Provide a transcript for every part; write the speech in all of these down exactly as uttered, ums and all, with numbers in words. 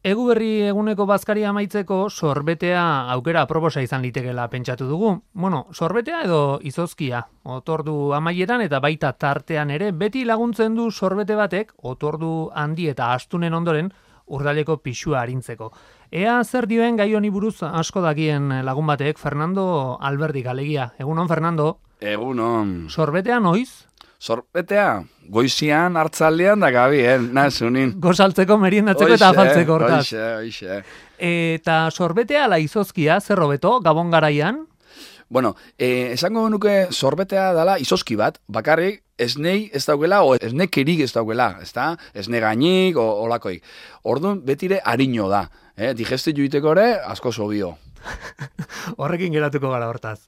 Egu berri eguneko bazkaria amaitzeko sorbetea aukera aproposa izan litekela pentsatu dugu. Bueno, sorbetea edo izozkia, otordu amaieran eta baita tartean ere, beti laguntzen du sorbete batek, otordu handi eta astunen ondoren, urdaleko pixua arintzeko. Ea zer dioen gai honi buruz asko dakien lagun batek, Fernando Alberdik alegia. Egunon, Fernando? Egunon. Sorbetea noiz? Sorbetea, goizian, hartzaldean da gabi, eh? Nazunin. Gozaltzeko, meriendatzeko eta afaltzeko hortaz. Oixe, oixe. Eta sorbetea ala izozkia, zer hobeto, Gabon garaian? Bueno, eh, esango nuke sorbetea dela izozki bat, bakarrik esnei ez daukela, o esnekerik ez daukela, ezta? Esne gainik, o olakoik. Orduan, betire harino da. Eh? Digesti juiteko ere, asko sobio. Horrekin geratuko gara hortaz.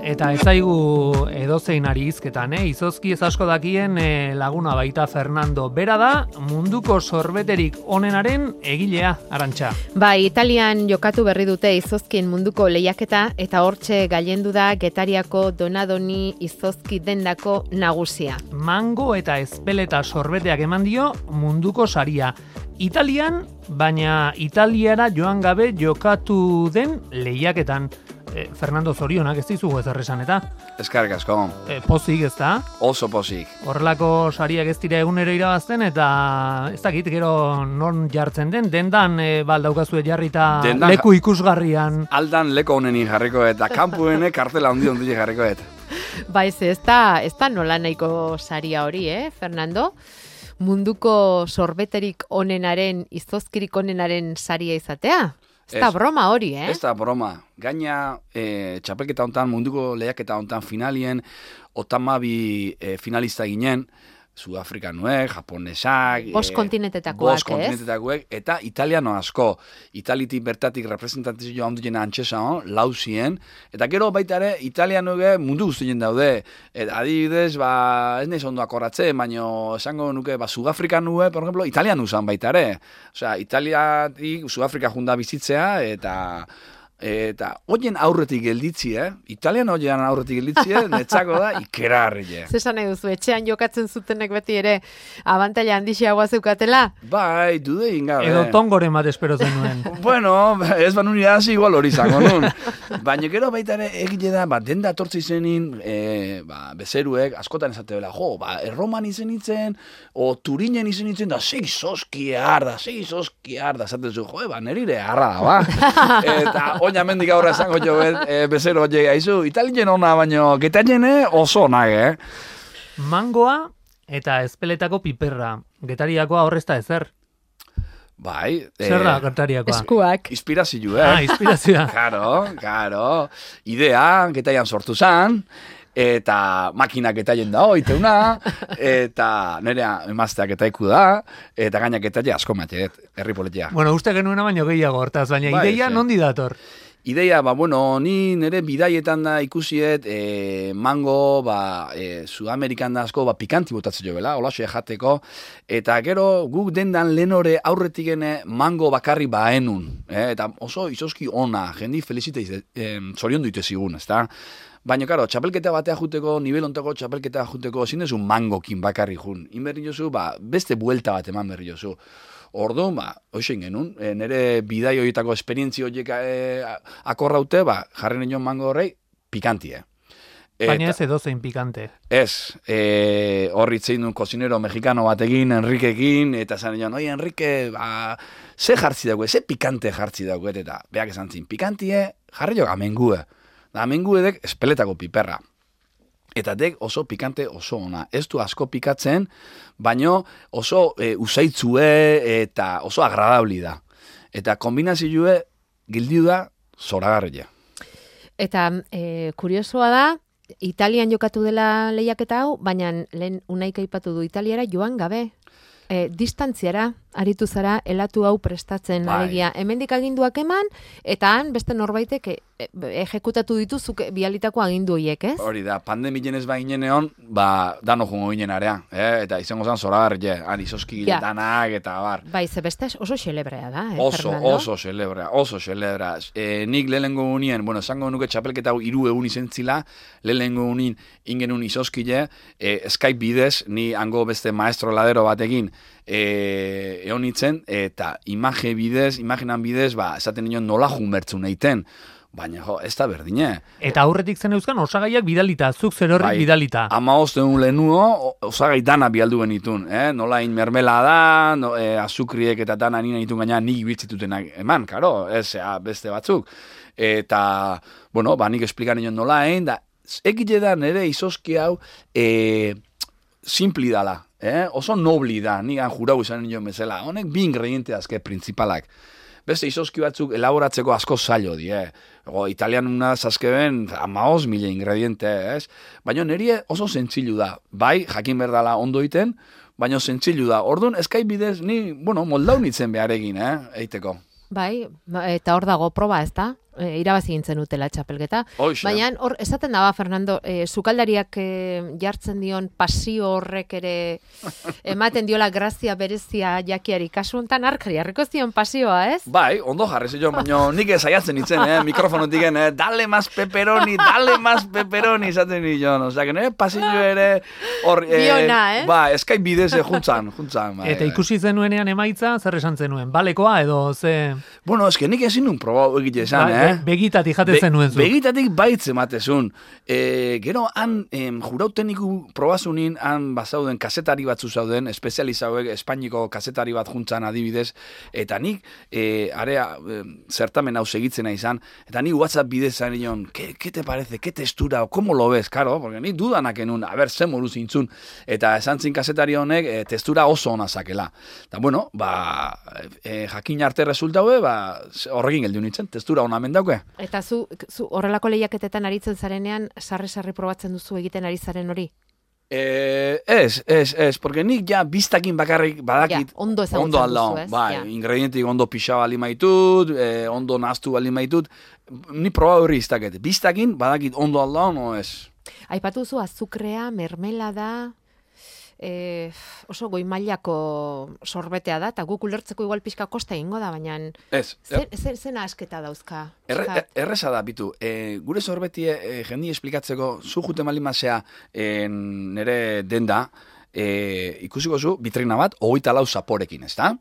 Eta ez zaigu edozein ari hizketan, eh? Izozki ez asko dakien eh, laguna baita Fernando. Bera da, munduko sorbeterik onenaren egilea, Arantxa. Bai, Italian jokatu berri dute izozkien munduko lehiaketa eta hortxe gailendu da Getariako Donadoni izozki dendako nagusia. Mango eta ezpeleta sorbeteak eman dio munduko saria. Italian, baina Italiara joan gabe jokatu den lehiaketan. Eh, Fernando, zorionak ez dizugu ez erresan eta? Eskarrik asko. Eh, pozik ez da? Oso pozik. Horrelako sariak ez dira egunero irabazten eta ez dakit gero non jartzen den, dendan e, baldaukazue jarrita dendan, leku ikusgarrian. Aldan leko honeni jarriko eta kanpuene kartela handi handi jarriko et. Ba ez, ez da, ez da nola nahiko saria hori, eh, Fernando? Munduko sorbeterik onenaren, izozkirik onenaren saria izatea? Ez da broma hori, eh? Ez da broma. Gaina, e, txapelketa hontan, munduko lehiaketa hontan finalien, otamabi e, finalista ginen, Sudafrikanuek, Japonesak, Bost kontinentetakoak, Bost kontinentetakoek, eta italiano asko. Italitik bertatik representantizio handien antxesa hon, lauzien, eta gero baita ere, italianoek mundu guztien daude. Et, adibidez, ba, ez nahiz ondo akorratzen, baina esango nuke, ba, Sudafrikanuek, por ejemplo, italiano zan baita ere. Osea, Italiatik Sudafrika junda bizitzea, eta... Eta hoien aurretik gelditzi, eh? Italian hoien aurretik gelditzi, netzako da ikerarri. Zesan nahi duzu, etxean jokatzen zutenek beti ere abantaila handixiagoa zeukatela? Bai, dude ingabe. Edo tongoren bat espero zenuen. Bueno, ez banu nire hasi igual hori zango nun. Baina gero baita ere egile da, ba, denda atortzi zenin, e, ba, bezeruek, askotan esate bela, jo, ba, erroman izen itzen, o Turinen izen itzen, da, sei zoskiar, da, sei zoskiar, da, zaten zu, jo, ba, nerire harra da, ba. Eta, oina mendik aurra esango jo, e, bezero hori haizu, italien ona, baino, getailene oso nahi, eh? Mangoa eta ezpeletako piperra. Getariakoa horrezta ezer. Bai. Zer da getariakoa? Eskuak. Inspirazio, eh? Ah, inspirazioa. Karo, karo. Idea, getaian sortu zan, eta makinak getaien da oiteuna, eta nerea emazteak getaiku da, eta gainak getaile asko mateet, herri politia. Bueno, uste genuena baino gehiago hortaz, baina Bai, ideia sí. nondi dator? Ideia, ba, bueno, ni nire bidaietan da ikusiet, e, mango, ba, e, Sudamerikan da asko, ba, pikanti botatzen jo bela, olaxo jateko, eta gero guk dendan lehenore aurretikene mango bakarri baenun, eh? Eta oso izoski ona, jendi felizite e, zorion duite zigun, ezta? Baina, karo, txapelketa batea juteko, nivel ontako txapelketa juteko, ezin dezu mangokin bakarri jun. Inberri jozu, ba, beste buelta bat eman berri jozu. Orduan, ba, hoxen genuen, e, nire bidai horietako esperientzi horiek e, akorraute, ba, jarren nion mango horrei, pikantie. Baina ez edozein pikante. Ez, e, horri itzein duen kozinero mexikano batekin, Enrikekin, eta zan nion, oi, Enrique, ba, ze jartzi dago, ze pikante jartzi dago, eta beak esan zin, pikantie, jarri jo amengue. Da amengue dek espeletako piperra. Eta dek oso pikante oso ona. Ez du asko pikatzen, baino oso e, usaitzue eta oso agradabli da. Eta kombinazioe gildiu da zoragarria. Eta e, kuriosoa da, Italian jokatu dela lehiaketa hau, baina lehen unaik aipatu du Italiara joan gabe. E, distantziara, aritu zara, elatu hau prestatzen, bai. Alegia. Hemendik aginduak eman, eta han beste norbaitek ejekutatu dituzuk bialitako agindu hiek, ez? Hori da, pandemien ez baginen egon, ba, dano jungo ginen area, eh? Eta izango zan zoragar, je, han izoski gile danak, eta bar. Bai, ze beste oso xelebrea da, eh, oso, Fernando? Oso xelebrea, oso xelebrea. E, nik lehenengo unien, bueno, esango nuke txapelketa hau hiru egun izentzila, lehenengo unin ingenun izoskile, e, Skype bidez, ni hango beste maestro ladero batekin, E, egon nintzen, eta imagen bidez, imaginan bidez, ba, esaten nion nola junbertzu nahiten, baina jo, ez da berdine. Eta aurretik zen euskan osagaiak bidalita, zuk zer horrik bai, bidalita. Ama osteun lehenuo, osagai dana bialdu genitun, eh? Nola in mermela da, no, e, azukriek eta dana nina ditun gaina nik bitzitutenak eman, karo, ez, ea, beste batzuk. Eta, bueno, ba, nik esplikan nion nola, egin, da, egite da nire izoski hau, e, simpli dala. Eh? Oso nobli da, nigan jurau izan nion bezala. Honek bi ingrediente azke principalak. Beste izoski batzuk elaboratzeko asko zailo di, eh? Ego, italian unaz azkeben amaoz mila ingrediente, ez? Baina nire oso zentzilu da. Bai, jakin berdala ondo iten, baina zentzilu da. Orduan, Skype bidez, ni, bueno, moldaunitzen beharegin, eh? Eiteko. Bai, eta hor dago proba, ez da? E, irabazi gintzen utela txapelketa. Hoxe. Baina hor, esaten daba, Fernando, e, sukaldariak e, jartzen dion pasio horrek ere ematen diola grazia berezia jakiari. Kasu honetan arkari, harriko zion pasioa, ez? Bai, ondo jarri zion, baina nik saiatzen itzen, eh? Mikrofonotik, eh? Dale más pepperoni, dale más pepperoni, izaten nion. Osea, que nire pasillo ere hor... Eh, Biona, eh? Ba, Skype bidez eh, juntzan, juntzan. Bai, Eta bai. ikusi zenuenean emaitza, zer esan zenuen? Balekoa edo ze... Bueno, eske nik ezin nun proba egite esan, Ba, eh? Begitatik jaten zenuen zu. Begitatik baitz ematezun. E, gero, han, em, jurauteniku probazunin, han bazauden kasetari batzu zauden, espezializauek Espainiko kasetari bat juntzan adibidez, eta nik, e, area, e, zertamen hau segitzena izan, eta nik WhatsApp bidez zan nion, ¿qué, ¿qué te parece? ¿Qué textura? O, ¿cómo lo ves? Karo, porque nik dudanak enun, a ber, zen moru zintzun, eta esan zin kasetari honek, e, textura oso ona zakela. Eta, bueno, ba, e, jakin arte resultaue, ba, horrekin geldiun nintzen, textura ona mendauke. Eta zu, zu horrelako lehiaketetan aritzen zarenean, sarri-sarri probatzen duzu egiten ari zaren hori? Eh, ez, ez, ez, porque nik ja biztakin bakarrik badakit Ja, ondo ezagutzen ondo aldao, duzu, ez? bai, Ja. ingredientik ondo pixa bali maitut, eh, ondo naztu bali maitut, ni proba horri iztaket, biztakin badakit ondo aldao, no ez. Aipatu duzu azukrea, mermelada, e, oso goi mailako sorbetea da, eta guk ulertzeko igual pixka kosta egingo da, baina Ez, zen, zen, zen asketa dauzka. Erre, Pixkat. erreza da, bitu, e, gure sorbetie e, jendi esplikatzeko, zu jute malimazea e, nere denda, e, ikusiko zu, bitrina bat, hogeita lau zaporekin, ez da?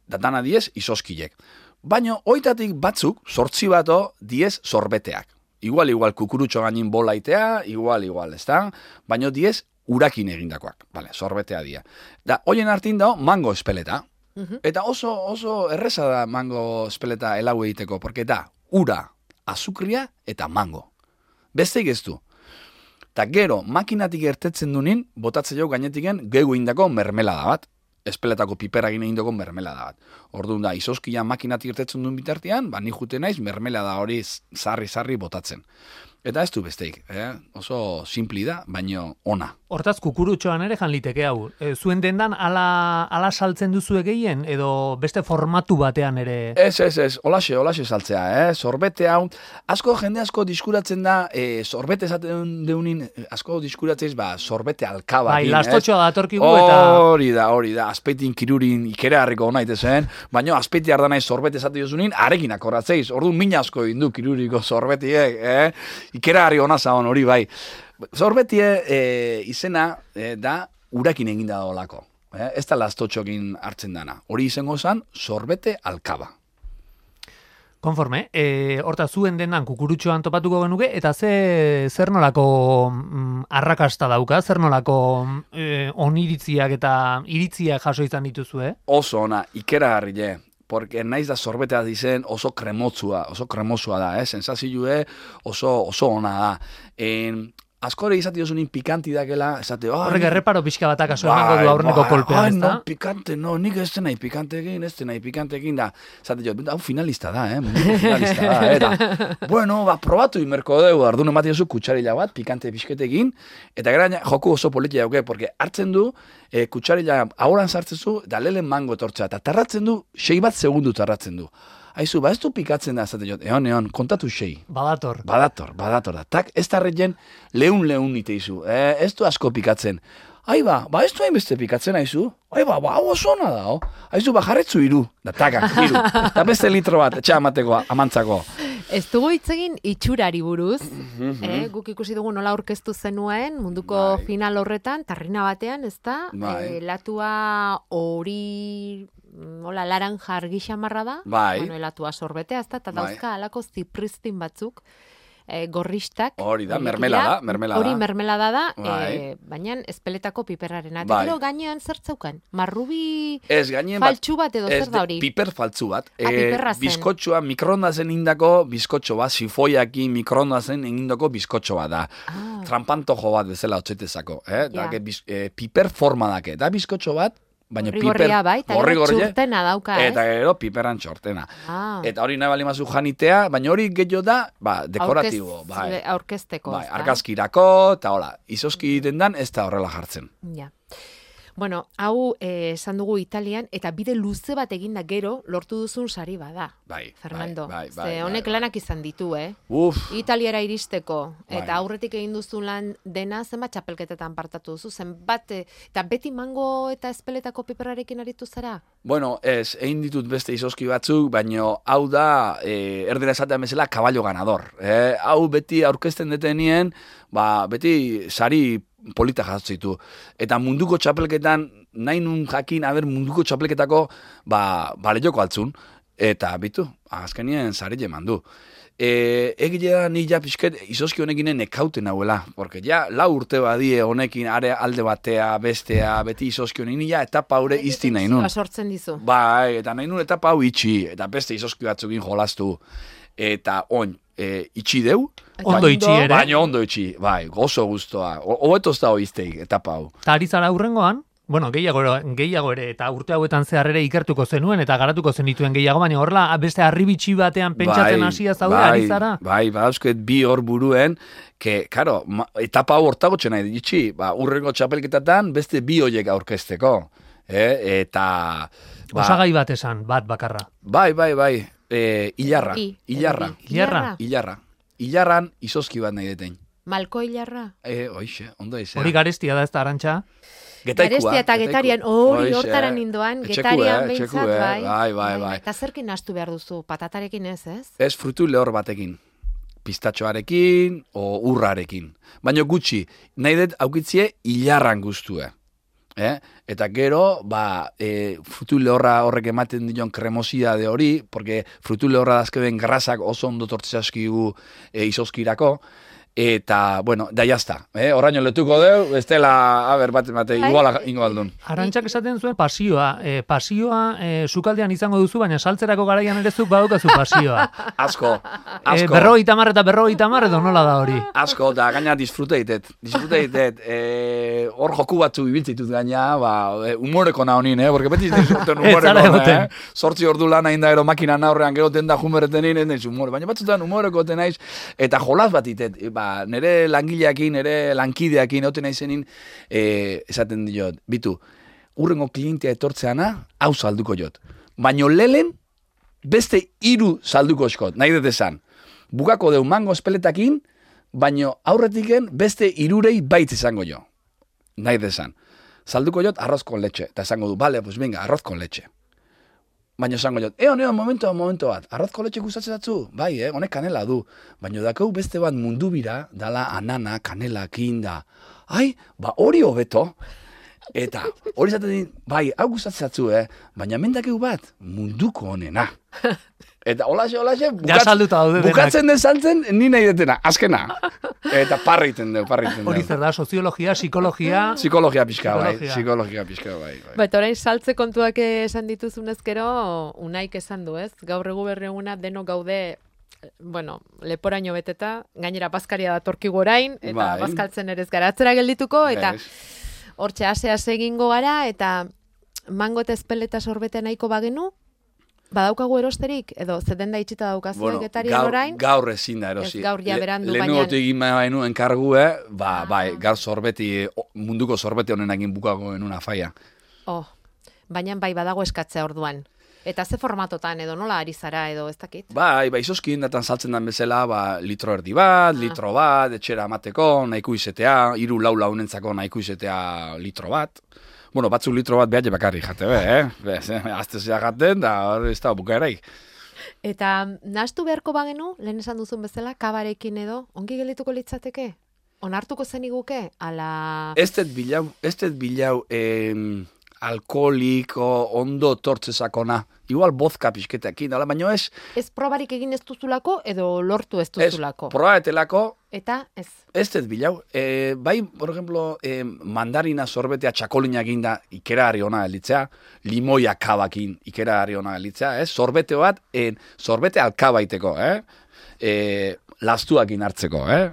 Datana diez, izoskilek. Baina, hoitatik batzuk, sortzi bato, diez sorbeteak. Igual, igual, kukurutxo gainin bolaitea, igual, igual, ez da? Baina, diez, urakin egindakoak, vale, sorbetea dia. Da, hoien hartin dago, mango espeleta. Mhm. Eta oso, oso erreza da mango espeleta elau egiteko, porque da, ura, azukria eta mango. Besteik ez du. Ta gero, makinatik ertetzen dunin, botatzen jo gainetiken gehu indako mermelada bat. Espeletako piperagin egin dugu mermelada bat. Orduan da, izoskia makinatik ertetzen duen bitartean, ba, ni jute naiz mermelada hori sarri-sarri botatzen. Eta ez du besteik, eh? Oso simpli da, baino ona. Hortaz, kukurutxoan ere jan liteke hau. E, zuen dendan ala, ala saltzen duzu gehien edo beste formatu batean ere... Ez, ez, ez, olaxe, olaxe saltzea, eh? Sorbete hau, asko jende asko diskuratzen da, eh, sorbete esaten deunin, asko diskuratzeiz, ba, sorbete alkaba. Bai, lastotxoa datorkigu eta... Hori da, hori da, azpeitin kirurin ikera harriko naite zen, baina azpeiti ardanaiz sorbete esate jozunin, arekin akorratzeiz, orduan mina asko indu kiruriko sorbetiek, eh? Ikera harri hona zaon hori bai. Sorbetie e, izena e, da urakin eginda da olako. Eh? Ez da lastotxokin hartzen dana. Hori izango zen sorbete alkaba. Konforme, e, horta zuen dendan kukurutxoan topatuko genuke, eta ze zer nolako mm, arrakasta dauka, zer nolako e, oniritziak eta iritziak jaso izan dituzu, eh? Oso ona, ikera harri porque naiz da sorbetea dizen oso kremotzua, oso kremosua da, eh? Sensazioe oso, oso ona da. En, askore izate jozunin pikanti dakela, esate... Oh, Horrek erreparo pixka batak aso bai, emango du aurreneko bai, kolpean, ai, ez da? no, pikante, no, nik ez nahi pikantekin, ez nahi pikantekin da. Esate jo, hau finalista da, eh? Munduko finalista da, eta... Bueno, ba, probatu imerko dugu, ardun ematen duzu kutsarila bat, pikante pixketekin, eta gara joku oso politia dauke, porque hartzen du, e, kutsarila ahoran sartzen zu, da lehen mango tortza, eta tarratzen du, sei bat segundu tarratzen du. Aizu, ba, ez du pikatzen da, zate jot, egon, egon, kontatu sei. Badator. Badator, badator da. Tak, ez tarretzen leun-leun nite izu. Eh, ez du asko pikatzen. Ai ba, ba ez du hainbeste pikatzen aizu. Ai ba, ba, hau oso ona da, oh. Aizu, ba, jarretzu iru. Da, taka, iru. Da beste litro bat, etxe amateko, amantzako. Ez dugu hitz egin itxurari buruz, eh, guk ikusi dugu nola aurkeztu zenuen munduko Bai. final horretan, tarrina batean, ez da, Bai. eh, latua hori, hola, laranja argi xamarra da, Bai. bueno, latua sorbetea, ez da, eta Bai. dauzka alako zipristin batzuk, eh, gorristak. Hori da, horiek mermelada, dira, mermelada. Hori mermelada da, Bai. eh, baina espeletako piperrarena. Eta Bai. gero gainean zer zeukan? Marrubi Ez, gainen bat, faltsu bat edo ez zer da hori? piper faltzu bat. Ah, piperra zen. Bizkotxoa, mikroondazen indako bizkotxo bat, sifoiakin mikroondazen indako bizkotxo bat da. Ah. Trampantojo bat bezala otzetezako. Eh? Ja. Da, biz, eh, piper forma dake. Da bizkotxo bat, baina piper... Gorri-gorria bai, eta gero gorri-gorria, txurtena dauka, ez? Eta gero piperan txortena. Ah. Eta hori nahi bali mazu janitea, baina hori gehiago da, ba, dekoratibo. Aurkez- bai. Aurkezteko. Bai, ez da? argazkirako, eta hola, izoski dendan ez da horrela jartzen. Ja. Bueno, hau eh, esan dugu Italian, eta bide luze bat eginda gero lortu duzun sari bada. Bai, Fernando. bai, bai, Ze bai, honek bai, lanak izan ditu, eh? Uf, Italiara iristeko, Bai. eta aurretik egin duzu lan dena, zenbat txapelketetan partatu duzu, zenbat, eh, eta beti mango eta espeletako piperrarekin aritu zara? bueno, ez, egin ditut beste izoski batzuk, baino hau da, e, erdera esatean bezala, kaballo ganador. Eh? Hau beti aurkezten detenien, ba, beti sari polita jatzitu. Eta munduko txapelketan, nahi nun jakin, aber munduko txapelketako, ba, balejoko altzun. Eta, bitu, azkenien sari jeman du. E, egile da ni ja pixket izoski honekinen ekauten hauela, porque ja lau urte badie honekin are alde batea, bestea, beti izoski honekin, ni ja etapa haure izti nahi nun. Sortzen dizu. Bai, eta nahi nun etapa hau itxi, eta beste izoski batzukin jolastu. Eta oin, e, itxi deu, Ondo itxi ere. baina ondo itxi, bai, gozo guztoa. Hobeto ez da hoizteik, etapa hau. Eta ari zara hurrengoan, bueno, gehiago, gehiago ere, eta urte hauetan zehar ere ikertuko zenuen, eta garatuko zenituen gehiago, baina horrela beste harribitxi batean pentsatzen hasia zaude, bai, ari zara? Bai, badauzket bi hor buruen, que, karo, ma, etapa hau hortagotxe nahi ditxi, ba, urrengo txapelketatan beste bi hoiek aurkezteko. Eh? Eta... Ba, Osagai bat esan, bat bakarra. bai, bai, bai, e, ilarra, I, ilarra, edo bi. Ilarra. ilarra. Ilarran izoski bat nahi deten. Malko hilarra. E, oixe, ondo izan. Hori garestia da ez da, Arantxa? Getaikua. Garestia eta getaiku. getarian, hori Hoixe, hortaran nindoan, etxeku, getarian eh, behintzat, etxeku, eh, bai. bai, bai, bai. Eta zerkin nahastu behar duzu, patatarekin ez, ez? Ez frutu lehor batekin. Pistatxoarekin o urrarekin. Baina gutxi, nahi dut aukitzie hilarran guztue. Eh? Eta gero, ba, e, frutu lehorra horrek ematen dion kremosia de hori, porque frutu lehorra dazkeben grasak oso ondo tortzaskigu e, izoskirako, eta, bueno, da jazta. Eh? Horraino letuko deu, ez dela, a ber, bat, bate, Bai. iguala ingo aldun. Arantxak esaten zuen pasioa. E, pasioa e, sukaldean izango duzu, baina saltzerako garaian ere zuk badaukazu pasioa. Asko, e, asko. berroi tamar eta berroi tamar edo nola da hori? Asko, da gaina disfrute ditet. Disfrute ditet. E, hor joku batzu ibiltzitut gaina, ba, e, humoreko nahonin, eh? Porque beti disfruten Ez zara humoreko, egoten. eh? Sortzi ordu lan hain da, ero makina naurrean geroten da jumereten ez naiz humore. Baina batzutan humoreko ten naiz, eta jolas bat ditet. E, ba, nere langileakin, nere lankideakin, egoten naizenin, e, esaten diot, bitu, urrengo klientea etortzeana, hau salduko jot. Baina lelen, beste hiru salduko eskot, nahi dut esan. Bukako deu mango espeletakin, baino aurretiken beste hirurei baitz izango jo. Nahi desan. Salduko jot arroz con leche. Eta esango du, bale, pues venga, arroz con leche. Baina esango jot, eo, neo, momento, momento bat. Arroz con leche gustatzen datzu? Bai, eh, honek kanela du. Baina dakau beste bat mundu bira, dala anana, kanela, kinda. Ai, ba hori hobeto. Eta hori zaten din, bai, hau gustatzen datzu, eh? Baina mendakeu bat, munduko honena. Eta holaxe, holaxe, Ja salduta daude denak. bukatzen den saltzen, ni nahi detena, azkena. Eta parra iten deu, parra iten Hori deu. zer da, soziologia, psikologia... Psikologia pixka, bai. Psikologia. Psikologia pixka, bai. bai. Ba, eta orain saltze kontuak esan dituzunez gero, unaik esan du, ez? Gaur egu berri eguna denok gaude, bueno, leporaino beteta, gainera bazkaria datorkigu orain, eta Bai. bazkaltzen ere ez gara atzera geldituko, eta Ez. hortxe ase-ase egingo gara, eta mango eta espeleta sorbete nahiko bagenu, badaukagu erosterik, edo zeden da itxita daukazu Bueno, vegetarian gaur, orain? gaur ezin da erosi. Ez gaur ja berandu, Lehenengo baina- egin bainu enkargu, eh? Ba, Ah. bai, gaur sorbeti, o- munduko sorbete honenakin bukako genuna faia. Oh, baina bai badago eskatzea orduan. Eta ze formatotan edo nola ari zara edo ez dakit? Bai, ba, izozkin datan saltzen den bezala, ba, litro erdi bat, Ah. litro bat, etxera amateko, nahiko izetea, hiru lau launentzako nahiko izetea litro bat. Bueno, batzuk litro bat behar bakarri jate, be, eh? Bez, eh? Azte zea jaten, da hori ez da bukaeraik. Eta nahastu beharko bagenu, lehen esan duzun bezala, kabarekin edo, ongi gelituko litzateke? Onartuko zeniguke? Ala... Ez dut bilau, ez dut bilau em, alkoholiko ondo tortzezakona. Igual bozka pixketekin, dala, baina ez, Ez probarik egin ez duzulako edo lortu ez ez duzulako? probaetelako, Eta ez... ez dut bilau. E, bai, por ejemplo, e, mandarina sorbetea txakolina eginda ikera harri ona elitzea, limoia kabakin ikera harri ona elitzea, ez? Sorbete bat, e, sorbete alkabaiteko, eh? E, lastuakin hartzeko, eh?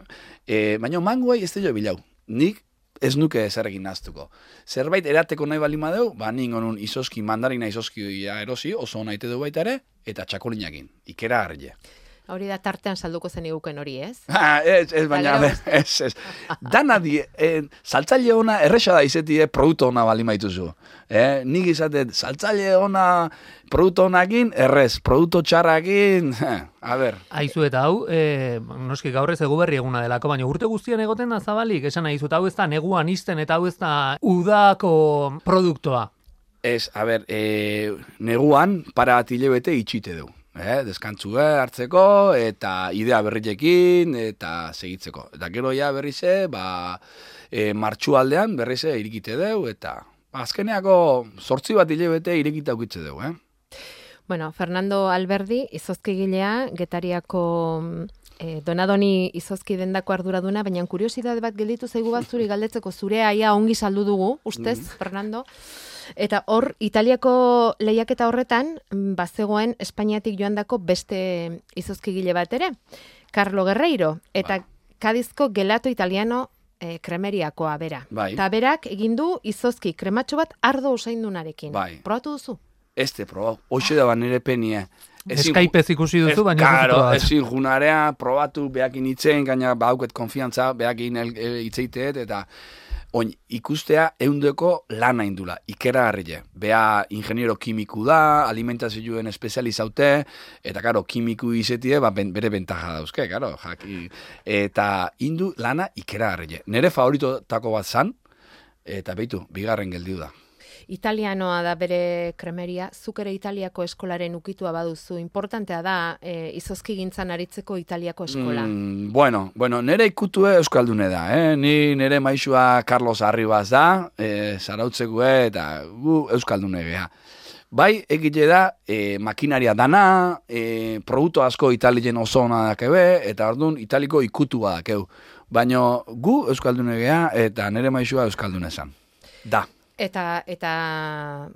E, baina mangoai ez dut bilau. Nik ez nuke ezarekin naztuko. Zerbait erateko nahi bali madeu, ba ningo nun izoski, mandarina izoski erosi, oso naite du baita ere, eta txakolinakin, ikera harri. Hori da tartean salduko zeniguken hori, ez? Ha, ez, ez, baina, Gero- ez, ez. Dana di, eh, saltzaile ona erresa da izetie produktu ona bali maituzu. Eh? Nik izatet, saltzaile ona produktu onakin, errez, produktu txarrakin, a ber. Aizu eta hau, e, noski gaur ez eguberri eguna delako, baina urte guztian egoten da zabalik, esan nahi zut, hau ez da neguan izten eta hau ez da udako produktoa. Ez, a ber, e, neguan para bat hilebete itxite du. Eh, deskantzue hartzeko, eta idea berriekin, eta segitzeko. Eta gero ja berrize, ba, e, martxu aldean berrize irikite deu, eta azkeneako zortzi bat hilebete irikita ukitze deu, eh? Bueno, Fernando Alberdi, izozkigilea, Getariako eh, Donadoni izozki dendako arduraduna, baina kuriosidade bat gelditu zaigu bat zuri galdetzeko zure aia ongi saldu dugu, ustez, Fernando. Eta hor, Italiako lehiaketa horretan, mm, bazegoen Espainiatik joandako beste izozkigile bat ere, Carlo Guerreiro, eta Kadizko Gelato Italiano eh, kremeriakoa bera. Bai. Eta berak egin du izozki krematxo bat ardo usaindunarekin. Bai. Probatu duzu? Ez te proba, hoxe da nire penie. Skypez ikusi duzu, baina ez duzu Karo, probatu. ezin junarea, probatu, behakin itzen, gaina bauket konfiantza, behakin itzeiteet, eta oin, ikustea eundeko lana indula, ikera harrile. Bea ingeniero kimiku da, alimentazioen espezializaute, eta karo, kimiku izetie, ba, ben, bere bentaja dauzke, karo, jaki. Eta indu lana ikera harrile. Nere favoritotako bat zan, eta beitu, bigarren geldiu da. Italianoa da bere kremeria, zuk ere Italiako eskolaren ukitua baduzu, importantea da e, izozki gintzan aritzeko Italiako eskola. Mm, bueno, bueno, nere ikutue euskaldune da, eh? Ni nere maixua Carlos Arribas da, eh, zarautzekue eta gu euskaldune geha. Bai, egite da, e, makinaria dana, e, produktu asko italien oso ona dakebe, eta orduan italiko ikutua dakeu. Baina gu euskaldune geha eta nere maixua euskaldune zan. Da. Eta, eta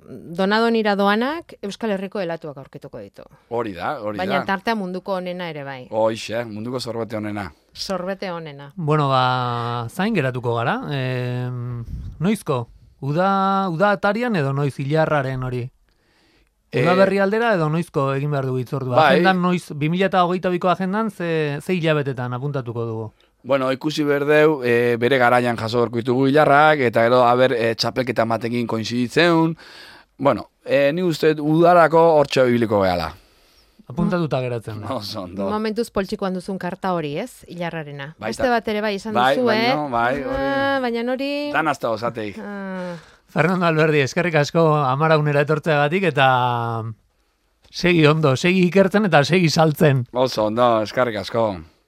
Donadonira doanak Euskal Herriko helatuak aurkituko ditu. Hori da, hori Baina da. tartea munduko onena ere bai. Hoixe, munduko zorbete honena. Sorbete onena. Bueno, ba, zain geratuko gara. E, noizko? Uda, uda atarian edo noiz hilarraren hori? Uda Eh, berri aldera edo noizko egin behar dugu itzordua? bai. Agendan noiz, bi mila hogeita biko agendan ze, ze hilabetetan apuntatuko dugu? Bueno, ikusi berdeu, e, bere garaian jaso berko ditugu hilarrak, eta gero, haber, e, txapelketa batekin koinziditzen. Bueno, e, ni uste udarako hortxe biliko gehala. Apuntatuta geratzen da. Oso ondo. Momentuz poltsikoan duzun karta hori, ez? Hilarrarena. Baita. Beste bat ere bai esan Bai, duzu, eh? baino, bai, hori. Ah, baina hori... Dan hasta osatei. Ah, Fernando Alberdi, eskerrik asko amaraunera etortzeagatik eta segi ondo, segi ikertzen eta segi saltzen. Oso ondo, eskarrik asko.